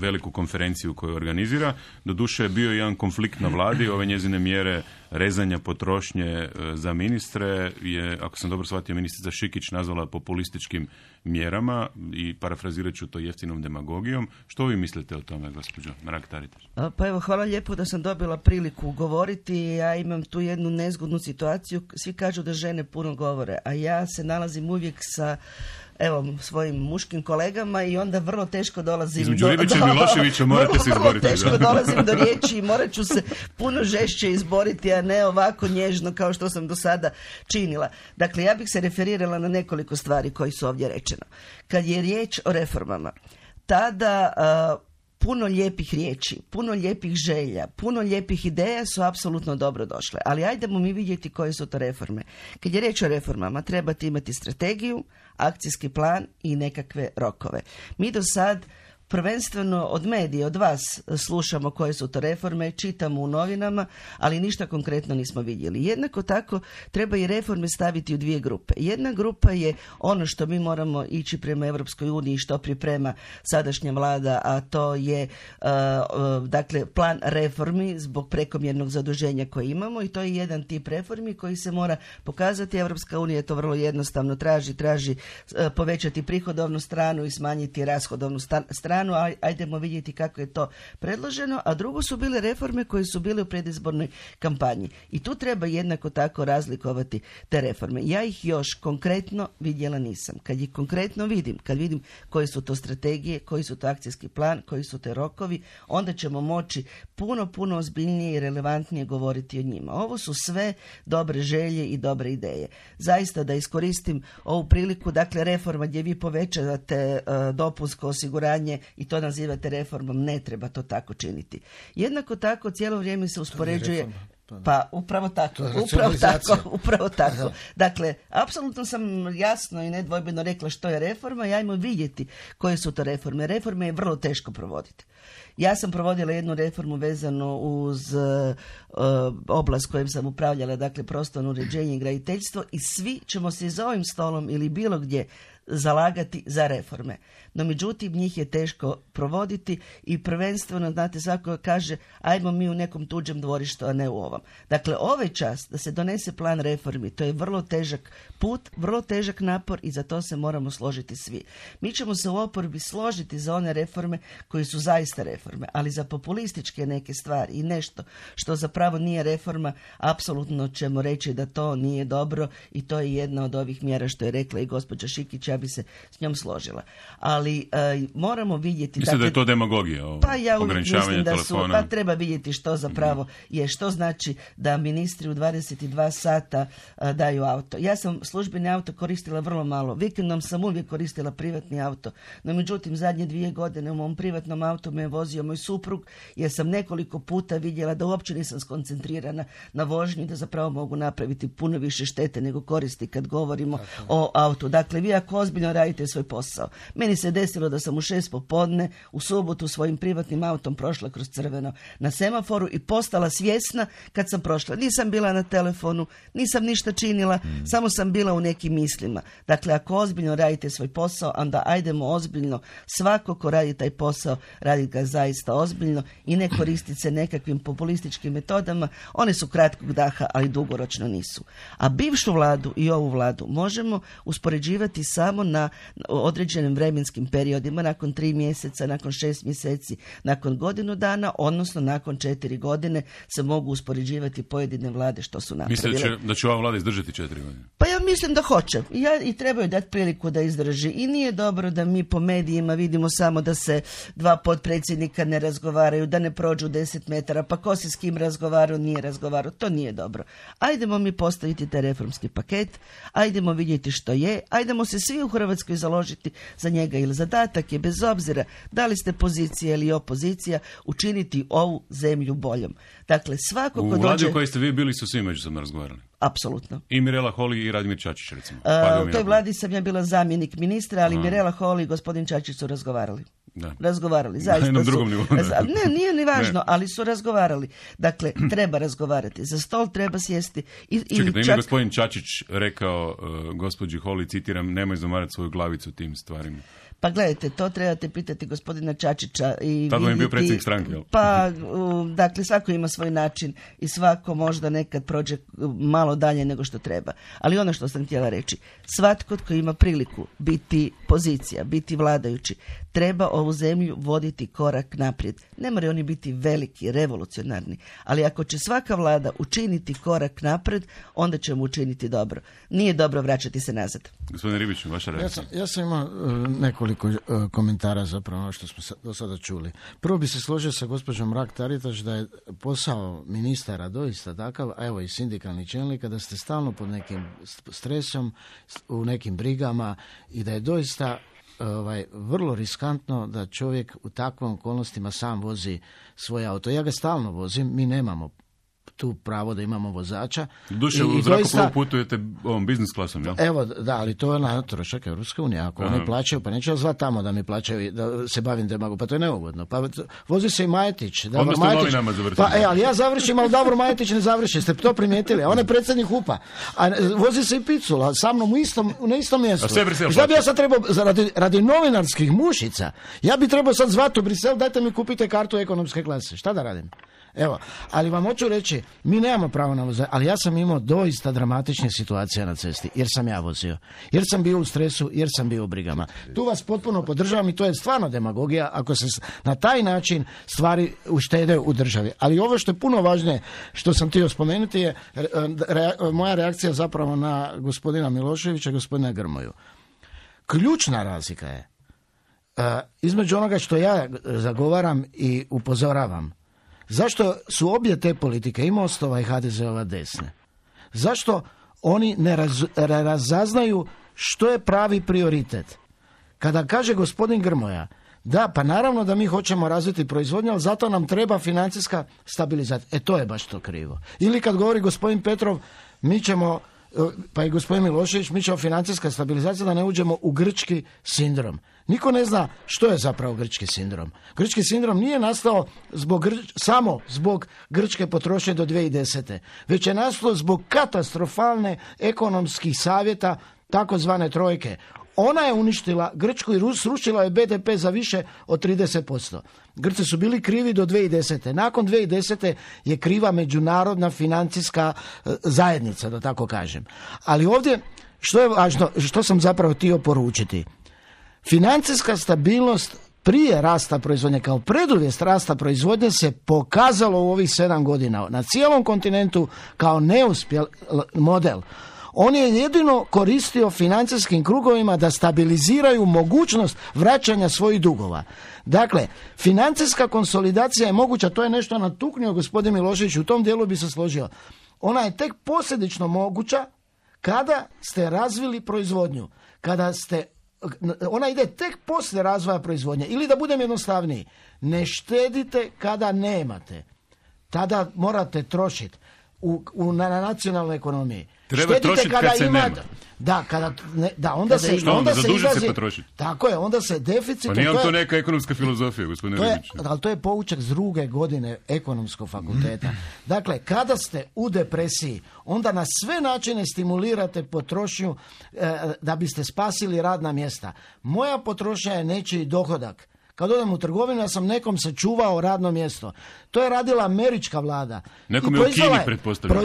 veliku konferenciju koju organizira. Doduše je bio jedan konflikt na vladi, ove njezine mjere rezanja potrošnje za ministre je, ako sam dobro shvatio, ministrica Šikić nazvala populističkim mjerama i parafrazirat ću to jeftinom demagogijom. Što vi mislite o tome, gospođo Mrak-Taritaš? Pa evo, hvala lijepo da sam dobila priliku govoriti. Ja imam tu jednu nezgodnu situaciju. Svi kažu da žene puno govore, a ja se nalazim uvijek sa svojim muškim kolegama i onda vrlo teško dolazim između Ribića i Miloševića morate se izboriti. Vrlo teško dolazim do riječi i morat ću se puno žešće izboriti, a ne ovako nježno kao što sam do sada činila. Dakle, ja bih se referirala na nekoliko stvari koji su ovdje rečeno. Kad je riječ o reformama, tada puno lijepih riječi, puno lijepih želja, puno lijepih ideja su apsolutno dobro došle. Ali ajdemo mi vidjeti koje su to reforme. Kad je riječ o reformama, trebate imati strategiju, akcijski plan i nekakve rokove. Mi do sad prvenstveno od medija, od vas slušamo koje su to reforme, čitamo u novinama, ali ništa konkretno nismo vidjeli. Jednako tako treba i reforme staviti u dvije grupe. Jedna grupa je ono što mi moramo ići prema Europskoj uniji, što priprema sadašnja vlada, a to je dakle plan reformi zbog prekomjernog zaduženja koje imamo i to je jedan tip reformi koji se mora pokazati. Europska unija to vrlo jednostavno traži povećati prihodovnu stranu i smanjiti rashodovnu stranu. Ajdemo vidjeti kako je to predloženo, a drugo su bile reforme koje su bile u predizbornoj kampanji. I tu treba jednako tako razlikovati te reforme. Ja ih još konkretno vidjela nisam. Kad ih konkretno vidim, kad vidim koje su to strategije, koji su to akcijski plan, koji su te rokovi, onda ćemo moći puno ozbiljnije i relevantnije govoriti o njima. Ovo su sve dobre želje i dobre ideje. Zaista da iskoristim ovu priliku, dakle reforma gdje vi povećavate dopunsko osiguranje i to nazivate reformom, ne treba to tako činiti. Jednako tako cijelo vrijeme se uspoređuje. Pa upravo tako. Dakle, apsolutno sam jasno i nedvojbeno rekla što je reforma i ajmo vidjeti koje su to reforme. Reforme je vrlo teško provoditi. Ja sam provodila jednu reformu vezano uz oblast kojom sam upravljala, dakle prostorno uređenje i graditeljstvo i svi ćemo se za ovim stolom ili bilo gdje zalagati za reforme. No međutim, njih je teško provoditi i prvenstveno, znate, svako kaže ajmo mi u nekom tuđem dvorištu, a ne u ovom. Dakle, ovaj čas da se donese plan reformi, to je vrlo težak put, vrlo težak napor i za to se moramo složiti svi. Mi ćemo se u oporbi složiti za one reforme koje su zaista reforme, ali za populističke neke stvari i nešto što zapravo nije reforma, apsolutno ćemo reći da to nije dobro i to je jedna od ovih mjera što je rekla i gospođa Šikić, ja bi se s njom složila. Ali moramo vidjeti... Mislim da je to demagogija, pa ja uvijek mislim da telefona. Pa treba vidjeti što zapravo je, što znači da ministri u 22 sata daju auto. Ja sam službeni auto koristila vrlo malo. Vikendom sam uvijek koristila privatni auto. No međutim, zadnje 2 godine u mom privatnom autu me je vozio moj suprug jer sam nekoliko puta vidjela da uopće nisam skoncentrirana na vožnji, da zapravo mogu napraviti puno više štete nego koristi kad govorimo o autu. Dakle, vi ako ozbiljno radite svoj posao. Meni se desilo da sam u 6 popodne u subotu svojim privatnim autom prošla kroz crveno na semaforu i postala svjesna kad sam prošla. Nisam bila na telefonu, nisam ništa činila, samo sam bila u nekim mislima. Dakle, ako ozbiljno radite svoj posao, onda ajdemo ozbiljno. Svako ko radi taj posao, radi ga zaista ozbiljno i ne koristiti se nekakvim populističkim metodama. One su kratkog daha, ali dugoročno nisu. A bivšu vladu i ovu vladu možemo uspoređivati samo na određenim vremenskim periodima, nakon 3 mjeseca, nakon 6 mjeseci, nakon godinu dana, odnosno nakon 4 godine se mogu uspoređivati pojedine vlade što su napravile. Mislite da će ova vlada izdržati 4 godine? Pa ja mislim da hoće. I trebaju dati priliku da izdrži. I nije dobro da mi po medijima vidimo samo da se 2 potpredsjednika ne razgovaraju, da ne prođu 10 metara, pa ko se s kim razgovarao, nije razgovarao. To nije dobro. Ajdemo mi postaviti taj reformski paket, ajdemo vidjeti što je, ajdemo se svi u Hrvatskoj založiti za njega, ili zadatak je, bez obzira da li ste pozicija ili opozicija, učiniti ovu zemlju boljom. Dakle, svako ko dođe... U vladi u kojoj ste vi bili su svi međusobno razgovarali? Apsolutno. I Mirela Holy i Radimir Čačić, recimo. U toj vladi sam ja bila zamjenik ministra, ali Mirela Holy i gospodin Čačić su razgovarali. Da. Razgovarali, zaista na jednom drugom nivou. Ne, nije ni važno, ali su razgovarali. Dakle, treba razgovarati. Za stol treba sjesti. Čekajte, ima gospodin Čačić rekao gospođi Holy, citiram, nemoj zamarati svoju glavicu tim stvarima. Pa gledajte, to trebate pitati gospodina Čačića. Tada vam je bio predsjednik stranke, jel? Pa, dakle, svako ima svoj način i svako možda nekad prođe malo dalje nego što treba. Ali ono što sam htjela reći, svatko tko ima priliku biti pozicija, biti vladajući, treba ovu zemlju voditi korak naprijed. Ne moraju oni biti veliki, revolucionarni, ali ako će svaka vlada učiniti korak naprijed, onda ćemo učiniti dobro. Nije dobro vraćati se nazad. Gospodine Ribiću, vaša reakcija? Ja sam imao nekoliko komentara zapravo ono što smo do sada čuli. Prvo bi se složio sa gospođom Mrak-Taritaš da je posao ministara doista takav, a evo i sindikalnih čelnika, da ste stalno pod nekim stresom, u nekim brigama i da je doista vrlo riskantno da čovjek u takvim okolnostima sam vozi svoj auto. Ja ga stalno vozim, mi nemamo tu pravo da imamo vozača. Duše, u zrakoplovu putujete ovom biznis klasom, jel? Evo, da, ali to je na trošak Europske unije. Ako oni plaćaju, pa neće zvati tamo da mi plaćaju, da se bavim demagogijom, pa to je neugodno. Pa vozi se i Majetić. Onda ste novinama završili. Pa, ali ja završim, ali Davor Majetić ne završi. Ste to primijetili? On je predsjednik HUP-a. A vozi se i Picula, sa mnom na istom mjestu. Šta bi ja sad trebao, radi novinarskih mušica, ja bi trebao sad zvati u Brisel, dajte mi kupite kartu ekonomske klase. Šta da radim? Evo, ali vam hoću reći, mi nemamo pravo na vozanje, ali ja sam imao doista dramatične situacije na cesti, jer sam ja vozio, jer sam bio u stresu, jer sam bio u brigama. Tu vas potpuno podržavam i to je stvarno demagogija ako se na taj način stvari uštede u državi. Ali ovo što je puno važnije, što sam htio spomenuti je moja reakcija zapravo na gospodina Miloševića i gospodina Grmoju. Ključna razlika je između onoga što ja zagovaram i upozoravam. Zašto su obje te politike, i Mostova i HDZ-ova, desne? Zašto oni ne razaznaju što je pravi prioritet? Kada kaže gospodin Grmoja, da, pa naravno da mi hoćemo razviti proizvodnju, ali zato nam treba financijska stabilizacija. To je baš to krivo. Ili kad govori gospodin Petrov, mi ćemo, pa i gospodin Milošević, mi ćemo financijska stabilizacija da ne uđemo u grčki sindrom. Niko ne zna što je zapravo grčki sindrom. Grčki sindrom nije nastao samo zbog grčke potrošnje do 2010. Već je nastao zbog katastrofalne ekonomskih savjeta takozvane trojke. Ona je uništila Grčku i srušila je BDP za više od 30%. Grci su bili krivi do 2010. Nakon 2010. je kriva međunarodna financijska zajednica, da tako kažem. Ali ovdje, što je važno, što sam zapravo htio poručiti? Financijska stabilnost prije rasta proizvodnje, kao preduvjet rasta proizvodnje, se pokazalo u ovih 7 godina na cijelom kontinentu kao neuspjel model. On je jedino koristio financijskim krugovima da stabiliziraju mogućnost vraćanja svojih dugova. Dakle, financijska konsolidacija je moguća, to je nešto natuknio gospodin Milošević, u tom dijelu bi se složio. Ona je tek posljedično moguća kada ste razvili proizvodnju, ona ide tek poslije razvoja proizvodnje. Ili da budem jednostavniji, ne štedite kada nemate. Tada morate trošiti na nacionalnoj ekonomiji. Treba trošiti kad se nema. Onda se zadužiti se potrošiti. Tako je, onda se deficit... Pa nije to neka ekonomska filozofija, gospodine Ribić. Ali to je poučak s 2. godine ekonomskog fakulteta. Dakle, kada ste u depresiji, onda na sve načine stimulirate potrošnju da biste spasili radna mjesta. Moja potrošnja je nečiji dohodak. Kad odem u trgovinu, ja sam nekom sačuvao radno mjesto. To je radila američka vlada. Nekom je u Kini, pretpostavljam.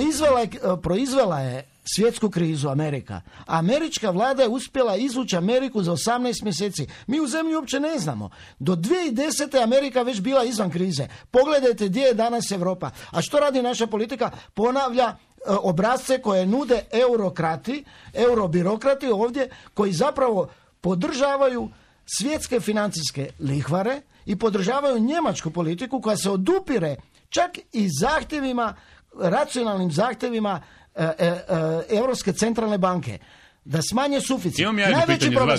Proizvela je svjetsku krizu Amerika. Američka vlada je uspjela izvući Ameriku za 18 mjeseci. Mi u zemlji uopće ne znamo. Do 2010. Amerika već bila izvan krize. Pogledajte gdje je danas Europa. A što radi naša politika? Ponavlja obrazce koje nude eurobirokrati ovdje, koji zapravo podržavaju svjetske financijske lihvare i podržavaju njemačku politiku koja se odupire čak i zahtjevima, racionalnim zahtjevima Europske centralne banke da smanje suficit. Najveći problem,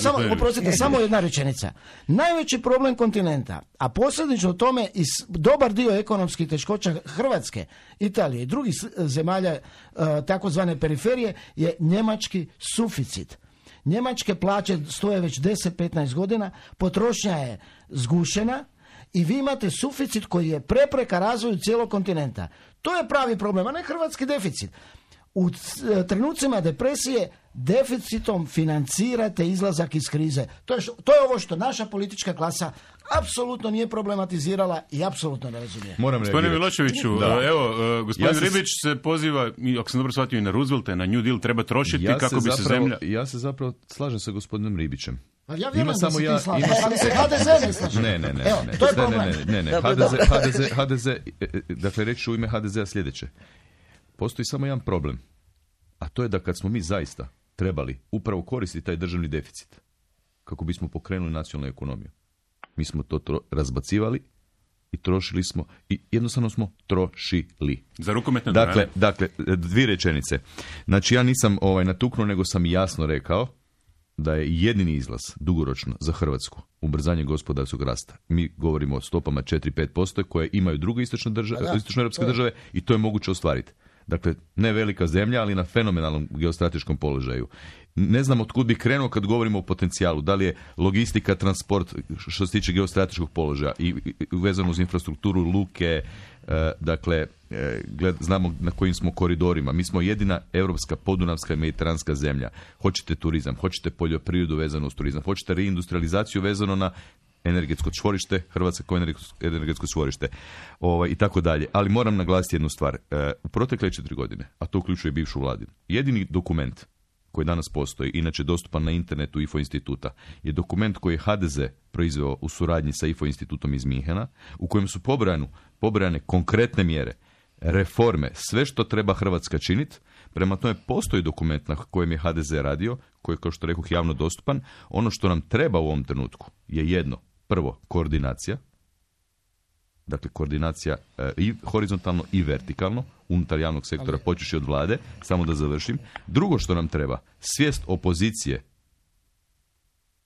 samo jedna rečenica. Najveći problem kontinenta, a posljedično tome i dobar dio ekonomskih teškoća Hrvatske, Italije i drugih zemalja takozvane periferije, je njemački suficit. Njemačke plaće stoje već 10-15 godina, potrošnja je zgušena i vi imate suficit koji je prepreka razvoju cijelog kontinenta. To je pravi problem, a ne hrvatski deficit. U trenucima depresije deficitom financirate izlazak iz krize. To je ovo što naša politička klasa apsolutno nije problematizirala i apsolutno ne razumije. Gospodine Miloševiću, gospodin Ribić se poziva, ako sam dobro shvatio, i na Roosevelta, i na New Deal, treba trošiti kako bi se zemlja... Ja se zapravo slažem sa gospodinom Ribićem. Ja vjerujem da se ti slažeš, ali se HDZ ne slaže. Ne. To je problem. HDZ, dakle reći u ime HDZ-a sljedeće. Postoji samo jedan problem, a to je da kad smo mi zaista trebali upravo koristiti taj državni deficit kako bismo pokrenuli nacionalnu ekonomiju, mi smo to razbacivali i trošili smo i jednostavno smo trošili. Za rukometne dvorane. Dakle, 2 rečenice. Znači ja nisam natuknuo, nego sam jasno rekao da je jedini izlaz dugoročno za Hrvatsku ubrzanje gospodarskog rasta. Mi govorimo o stopama 4-5% koje imaju druge istočnoeuropske države i to je moguće ostvariti. Dakle, ne velika zemlja, ali na fenomenalnom geostrateškom položaju. Ne znam od kud bi krenuo kad govorimo o potencijalu. Da li je logistika, transport, što se tiče geostrateškog položaja i vezano uz infrastrukturu, luke, znamo na kojim smo koridorima. Mi smo jedina europska, podunavska i mediteranska zemlja. Hoćete turizam, hoćete poljoprivredu vezano uz turizam, hoćete reindustrializaciju vezano na energetsko čvorište, Hrvatska kao energetsko čvorište i tako dalje. Ali moram naglasiti jednu stvar. U protekle 4 godine, a to uključuje bivšu vladinu, jedini dokument koji danas postoji, inače dostupan na internetu IFO instituta, je dokument koji je HDZ proizveo u suradnji sa IFO institutom iz Minhena, u kojem su pobrojane konkretne mjere, reforme, sve što treba Hrvatska činiti. Prema tome postoji dokument na kojem je HDZ radio, koji je, kao što rekoh, javno dostupan. Ono što nam treba u ovom trenutku je jedno. Prvo, koordinacija. Dakle, koordinacija i horizontalno i vertikalno unutar javnog sektora, počevši od vlade, samo da završim. Drugo što nam treba, svijest opozicije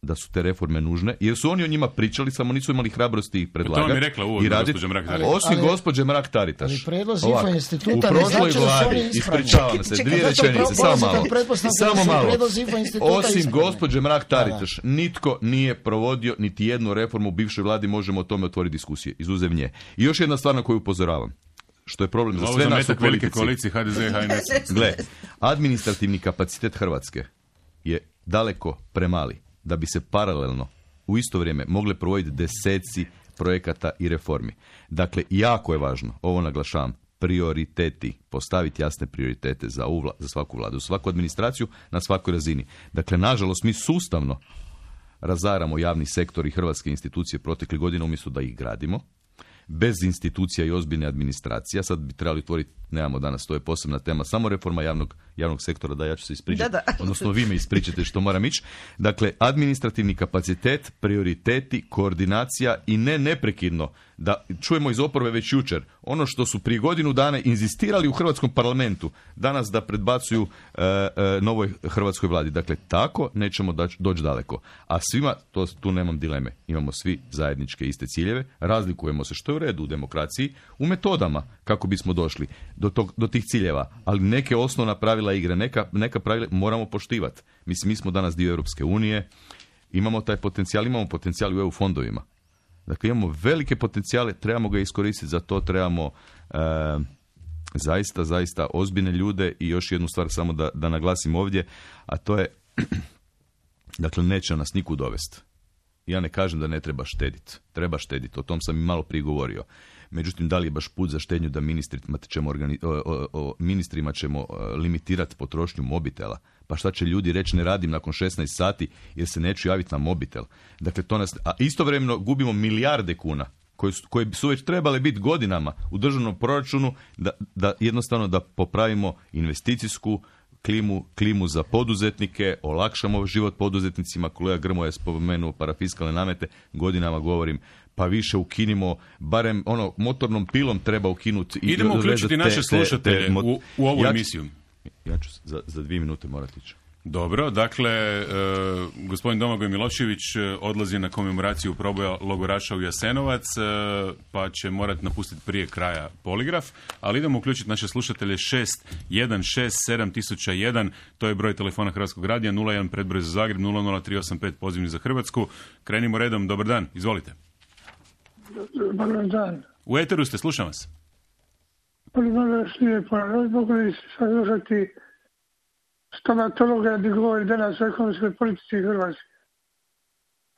da su te reforme nužne, jer su oni o njima pričali, samo nisu imali hrabrosti ih predlagati. To mi je rekla uvodno gospođa Mrak-Taritaš. Osim gospođe Mrak-Taritaš. Ali predlozi IFO instituta ne znači da su oni ispravni. Ispričavam se, 2 rečenice, samo malo. Osim gospođe Mrak-Taritaš, nitko nije provodio niti jednu reformu u bivšoj vladi, možemo o tome otvoriti diskusije, izuzev nje. I još jedna stvar na koju upozoravam, što je problem za sve nas u politici. Velike koalicije HDZ i HNS. Gle, administrativni kapacitet Hrvatske je daleko premali da bi se paralelno u isto vrijeme mogle provoditi deseci projekata i reformi. Dakle, jako je važno, ovo naglašavam, prioriteti, postaviti jasne prioritete za svaku vladu, svaku administraciju na svakoj razini. Dakle, nažalost, mi sustavno razaramo javni sektor i hrvatske institucije protekle godine umjesto da ih gradimo. Bez institucija i ozbiljne administracija, sad bi trebali otvoriti, nemamo danas, to je posebna tema, samo reforma javnog sektora, da ja ću se ispričati, odnosno vi me ispričate što moram ići. Dakle, administrativni kapacitet, prioriteti, koordinacija i neprekidno, da čujemo iz oporbe već jučer, ono što su prije godinu dana inzistirali u hrvatskom parlamentu, danas da predbacuju novoj hrvatskoj vladi. Dakle, tako nećemo doći daleko. A svima, tu nemam dileme, imamo svi zajedničke iste ciljeve, razlikujemo se, što je u redu u demokraciji, u metodama kako bismo došli do tih ciljeva, ali neke osnovna pravila igre, neka pravila moramo poštivati. Mislim, mi smo danas dio Europske unije, imamo taj potencijal, imamo potencijal u EU fondovima. Dakle, imamo velike potencijale, trebamo ga iskoristiti, za to trebamo zaista ozbiljne ljude. I još jednu stvar samo da naglasim ovdje, a to je, dakle, neće nas nikud dovesti. Ja ne kažem da ne treba štediti. Treba štediti, o tom sam i malo prije govorio. Međutim, da li je baš put za štednju da ministrima ćemo limitirati potrošnju mobitela? Pa šta će ljudi reći, ne radim nakon 16 sati jer se neću javiti na mobitel? Dakle, a istovremeno gubimo milijarde kuna koje su već trebale biti godinama u državnom proračunu da jednostavno da popravimo investicijsku klimu za poduzetnike, olakšamo život poduzetnicima. Kolega Grmoja je spomenuo parafiskalne namete, godinama govorim, pa više ukinimo, barem motornom pilom treba ukinuti. Idemo uključiti naše slušatelje u ovu emisiju. Ja ću za 2 minute morati ići. Dobro, dakle, gospodin Domagoj Milošević odlazi na komemoraciju proboja logoraša u Jasenovac, pa će morati napustiti prije kraja poligraf, ali idemo uključiti naše slušatelje 616701, to je broj telefona Hrvatskog radija, 01 predbroj za Zagreb, 00385 pozivni za Hrvatsku. Krenimo redom, dobar dan, izvolite. Dobar dan. U eteru ste, slušam vas. Mogli ste slušati stomatologa gdje govori danas o ekonomskoj politici Hrvatske.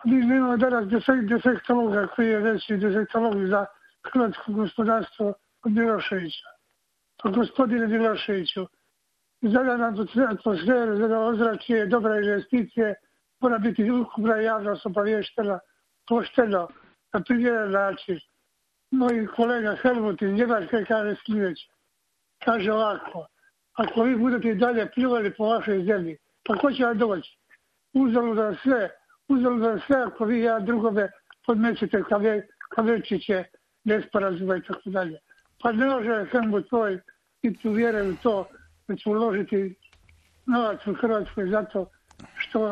Mi nemamo danas defektologa koji je veći defektolog za hrvatsko gospodarstvo od Miloševića. Pa gospodine Miloševiću, za nam atmosferu, za ozračje, dobra investicije, mora biti ukupna javnost obavještena pošteno, na primjeren način. Moj kolega Helmut iz Njemačke kaže sljedeće. Kaže ovako, ako vi budete i dalje pljuvali po vašoj zemlji, pa ko će vam doći? Uzaludan sve ako vi ja drugome podmećete kavečiće, nesporazuma i tako dalje. Pa ne može Helmut tvoj biti uvjeren u to da će uložiti novac u Hrvatskoj zato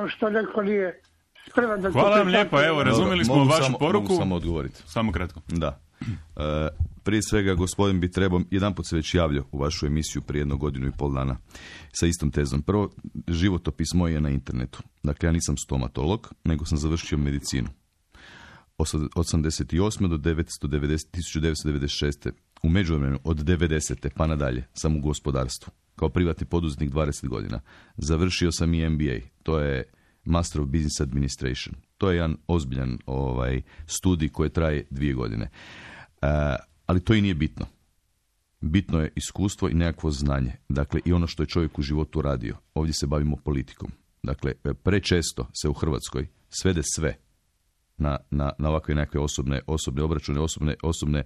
što neko nije spreman da... Hvala vam lijepo, evo, razumjeli smo vašu poruku. Mogu samo odgovoriti. Samo kratko. Da. Prije svega, gospodin bi trebao, jedanput se već javljao u vašu emisiju prije 1 godinu i pol dana sa istom tezom. Prvo, životopis moj je na internetu. Dakle, ja nisam stomatolog, nego sam završio medicinu. Od 88. do 1996. U međuvremenu, od 90. pa nadalje, sam u gospodarstvu. Kao privatni poduzetnik 20 godina. Završio sam i MBA. To je Master of Business Administration. To je jedan ozbiljan studij koji traje 2 godine. Ali to i nije bitno. Bitno je iskustvo i nekakvo znanje. Dakle, i ono što je čovjek u životu radio. Ovdje se bavimo politikom. Dakle, prečesto se u Hrvatskoj svede sve na ovakve nekakve osobne obračune, osobne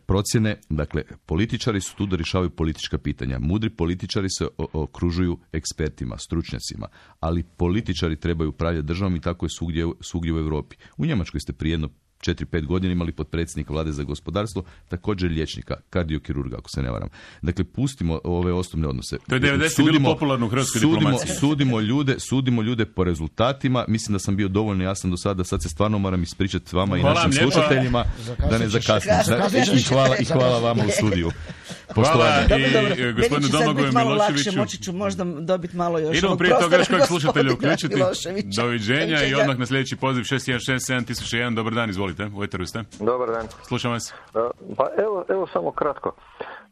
procjene. Dakle, političari su tu da rješavaju politička pitanja. Mudri političari se okružuju ekspertima, stručnjacima, ali političari trebaju upravljati državom i tako je svugdje u Europi. U Njemačkoj ste prije 4-5 godina imali potpredsjednika vlade za gospodarstvo, također liječnika, kardiokirurga, ako se ne varam. Dakle, pustimo ove osobne odnose. To je 90 bilo popularno u hrvatskoj diplomaciji. Sudimo ljude po rezultatima. Mislim da sam bio dovoljno jasan do sada, sad se stvarno moram ispričati vama i našim slušateljima da ne zakasnim. I hvala vama u studiju. Hvala i gospodinu Domagoju Miloševiću. Moći ću možda dobiti malo još. Idemo prije toga još kojeg slušatelja uključiti. Doviđenja i odmah na sljedeći poziv 616701. Dobar dan, izvolite. U eteru ste. Dobar dan. Slušam vas. Pa evo samo kratko.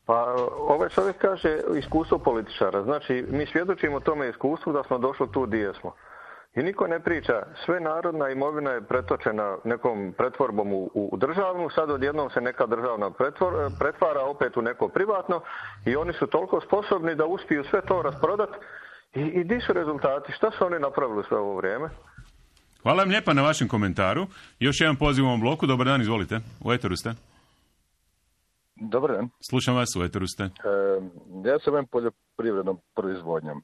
Pa ovaj čovjek kaže iskustvo političara. Znači, mi svjedočimo tome iskustvu da smo došli tu gdje smo. I niko ne priča, sve narodna imovina je pretočena nekom pretvorbom u državnu, sad odjednom se neka državna pretvara opet u neko privatno i oni su toliko sposobni da uspiju sve to rasprodati. I di su rezultati? Šta su oni napravili sve ovo vrijeme? Hvala vam lijepa na vašem komentaru. Još jedan poziv u ovom bloku. Dobar dan, izvolite. U eteru ste. Dobar dan. Slušam vas, u eteru ste. Ja se bavim poljoprivrednom proizvodnjom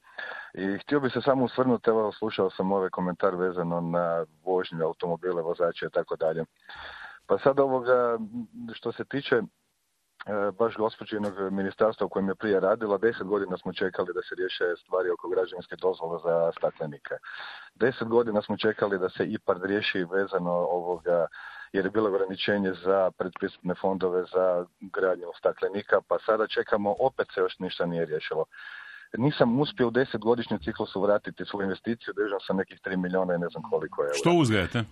i htio bi se samo osvrnuti, evo slušao sam ovaj komentar vezano na vožnju automobile, vozače i tako dalje. Pa sad ovoga, što se tiče baš gospođinog ministarstva u kojem je prije radila, 10 godina smo čekali da se riješe stvari oko građevinske dozvole za staklenike. 10 godina smo čekali da se IPARD riješi vezano ovoga, jer je bilo ograničenje za predpristupne fondove za gradnju staklenika, pa sada čekamo, opet se još ništa nije riješilo. Nisam uspio u 10-godišnjem ciklusu vratiti svoju investiciju, držam sam nekih 3 milijuna i ne znam koliko eura. Što uzgajate?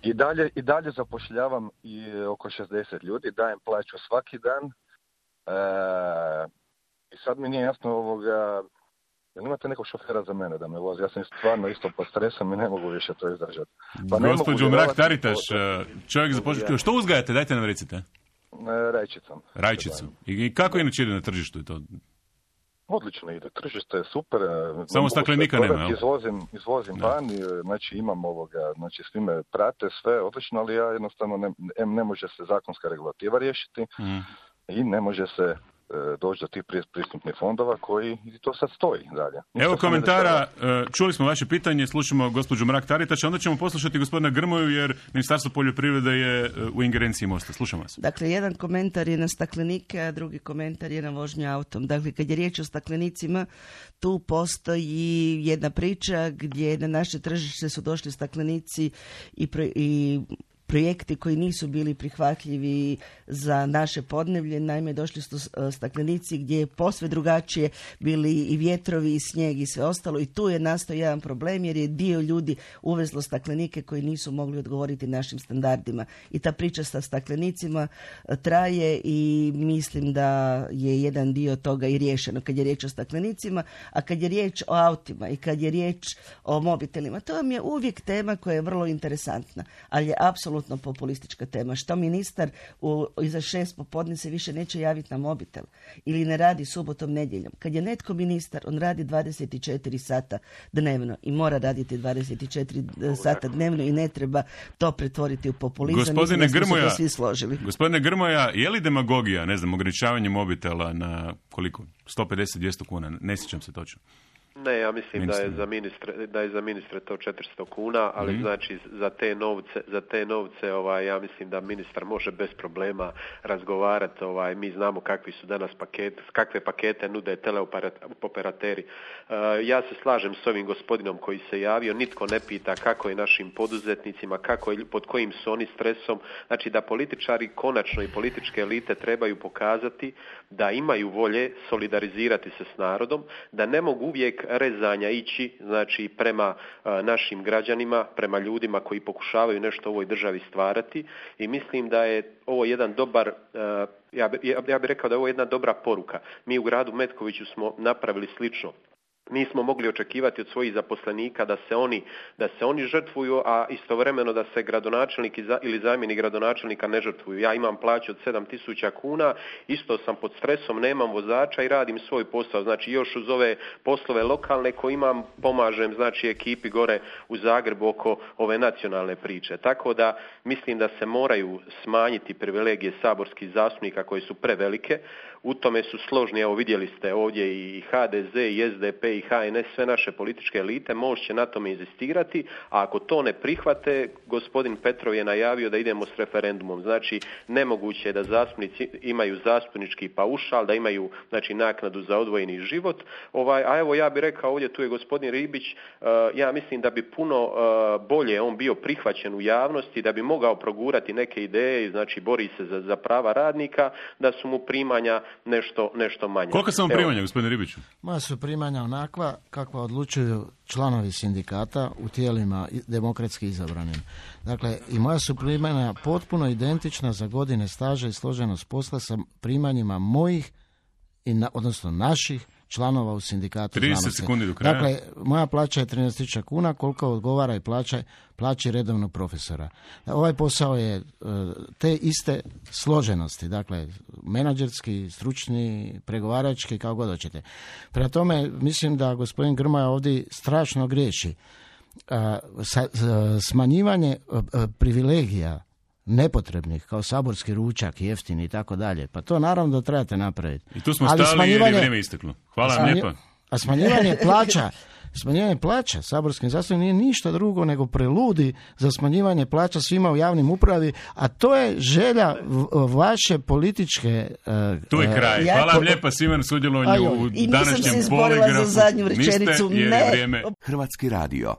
I dalje zapošljavam i oko 60 ljudi, dajem plaću svaki dan. I sad mi nije jasno ovoga, jel imate nekog šofera za mene da me vozi? Ja sam stvarno isto pod stresom i ne mogu više to izdržati. Pa gospođo Mrak-Taritaš, čovjek započeo. Što uzgajate? Dajte nam recite. Rajčicu. I kako inače ide na tržištu to? Odlično ide. Tržište je super. Samo staklenika nema, jel? Izvozim van, znači imam ovoga, znači svi me prate, sve odlično, ali ja jednostavno ne može se zakonska regulativa riješiti i ne može se doći do tih pristupnih fondova koji to sad stoji dalje. Evo komentara, čuli smo vaše pitanje, slušamo gospođu Mrak-Taritaš, onda ćemo poslušati gospodina Grmoju jer Ministarstvo poljoprivrede je u ingerenciji Mosta. Slušam vas. Dakle, jedan komentar je na staklenike, a drugi komentar je na vožnju autom. Dakle, kad je riječ o staklenicima, tu postoji jedna priča gdje na naše tržište su došli staklenici i projekti koji nisu bili prihvatljivi za naše podneblje. Naime, došli su staklenici gdje je posve drugačije bili i vjetrovi i snijeg i sve ostalo i tu je nastao jedan problem jer je dio ljudi uvezlo staklenike koji nisu mogli odgovoriti našim standardima. I ta priča sa staklenicima traje i mislim da je jedan dio toga i riješeno kad je riječ o staklenicima, a kad je riječ o autima i kad je riječ o mobitelima, to vam je uvijek tema koja je vrlo interesantna, ali je apsolutno populistička tema. Što ministar iza 6 popodne se više neće javiti na mobitel ili ne radi subotom, nedjeljom. Kad je netko ministar, on radi 24 sata dnevno i mora raditi 24 sata dnevno i ne treba to pretvoriti u populizam. Gospodine Grmoja, svi složili. Gospodine Grmoja, je li demagogija, ne znam, ograničavanje mobitela na koliko? 150-200 kuna? Ne sjećam se točno. Ne, ja mislim da je za ministre to 400 kuna, ali znači za te novce ja mislim da ministar može bez problema razgovarati. Mi znamo kakvi su danas kakve pakete nude teleoperateri. Ja se slažem s ovim gospodinom koji se javio, nitko ne pita kako je našim poduzetnicima, pod kojim su oni stresom. Znači da političari konačno i političke elite trebaju pokazati da imaju volje solidarizirati se s narodom, da ne mogu uvijek rezanja ići, znači prema našim građanima, prema ljudima koji pokušavaju nešto u ovoj državi stvarati i mislim da je ovo jedan dobar, ja bih rekao da je ovo jedna dobra poruka. Mi u gradu Metkoviću smo napravili slično. Nismo mogli očekivati od svojih zaposlenika da se oni žrtvuju, a istovremeno da se gradonačelnik ili zamjenik gradonačelnika ne žrtvuju. Ja imam plaću od 7.000 kuna, isto sam pod stresom, nemam vozača i radim svoj posao. Znači još uz ove poslove lokalne koje imam, pomažem znači ekipi gore u Zagrebu oko ove nacionalne priče. Tako da mislim da se moraju smanjiti privilegije saborskih zastupnika koje su prevelike. U tome su složni, evo vidjeli ste ovdje i HDZ, i SDP, i HNS, sve naše političke elite, Most će na tome inzistirati, a ako to ne prihvate, gospodin Petrov je najavio da idemo s referendumom. Znači, nemoguće je da zastupnici imaju zastupnički paušal, da imaju znači naknadu za odvojeni život. A evo ja bih rekao, ovdje tu je gospodin Ribić, ja mislim da bi puno bolje on bio prihvaćen u javnosti, da bi mogao progurati neke ideje, znači bori se za prava radnika, da su mu primanja nešto manje. Koliko su vam primanja, gospodine Ribiću? Moja su primanja onakva kakva odlučuju članovi sindikata u tijelima demokratski izabranim. Dakle, i moja su primanja potpuno identična za godine staža i složenost posla sa primanjima mojih, odnosno naših članova u sindikatu 30 znanosti. sekundi do kraja. Dakle, moja plaća je 13.000 kuna, koliko odgovara i plaći redovnog profesora. Ovaj posao je te iste složenosti, dakle, menadžerski, stručni, pregovarački, kao god hoćete. Prema tome, mislim da gospodin Grmoja ovdje strašno griješi. Smanjivanje privilegija nepotrebnih, kao saborski ručak, jeftini i tako dalje. Pa to naravno da trebate napraviti. I tu smo stali jer je vrijeme isteklo. Hvala vam lijepa. A smanjivanje plaća saborskim zastupnicima nije ništa drugo nego preludi za smanjivanje plaća svima u javnim upravi, a to je želja vaše političke... Tu je kraj. Hvala vam lijepa svima na sudjelovanju u današnjem poligrafu. I nisam se izborila za zadnju rečenicu. Niste, jer je vrijeme... Hrvatski radio.